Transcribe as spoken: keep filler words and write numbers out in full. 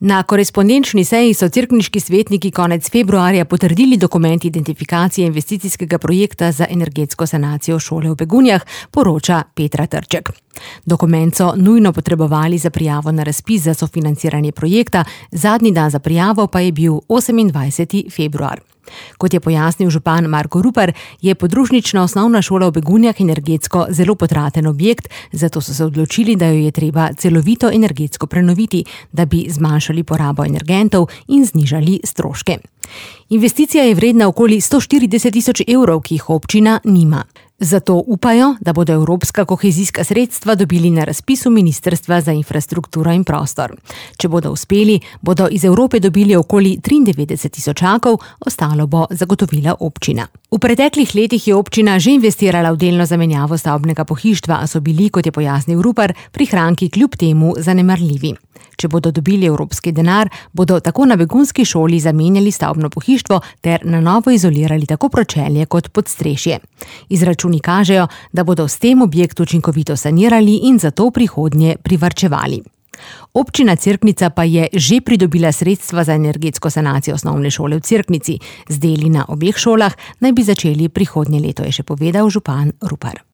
Na korespondenčni seji so cerkniški svetniki konec februarja potrdili dokument identifikacije investicijskega projekta za energetsko sanacijo šole v Begunjah, poroča Petra Trček. Dokument so nujno potrebovali za prijavo na razpis za sofinanciranje projekta, zadnji dan za prijavo pa je bil osemindvajseti februar. Kot je pojasnil župan Marko Rupar, je podružnična osnovna šola v Begunjah energetsko zelo potraten objekt, zato so se odločili, da jo je treba celovito energetsko prenoviti, da bi zmanjšali porabo energentov in znižali stroške. Investicija je vredna okoli sto štirideset tisoč evrov, ki jih občina nima. Zato upajo, da bodo evropska kohezijska sredstva dobili na razpisu Ministrstva za infrastrukturo in prostor. Če bodo uspeli, bodo iz Evrope dobili okoli triindevetdeset tisočakov, ostalo bo zagotovila občina. V preteklih letih je občina že investirala v delno zamenjavo stavbnega pohištva, a so bili, kot je pojasnil Rupar, prihranki kljub temu zanemarljivi. Če bodo dobili evropski denar, bodo tako na begunski šoli zamenjali stavbno pohištvo ter na novo izolirali tako pročelje kot podstrešje. Izračuni kažejo, da bodo s tem objekt učinkovito sanirali in zato prihodnje privarčevali. Občina Cerknica pa je že pridobila sredstva za energetsko sanacijo osnovne šole v Cerknici. Z deli na obeh šolah naj bi začeli prihodnje leto, je še povedal župan Rupar.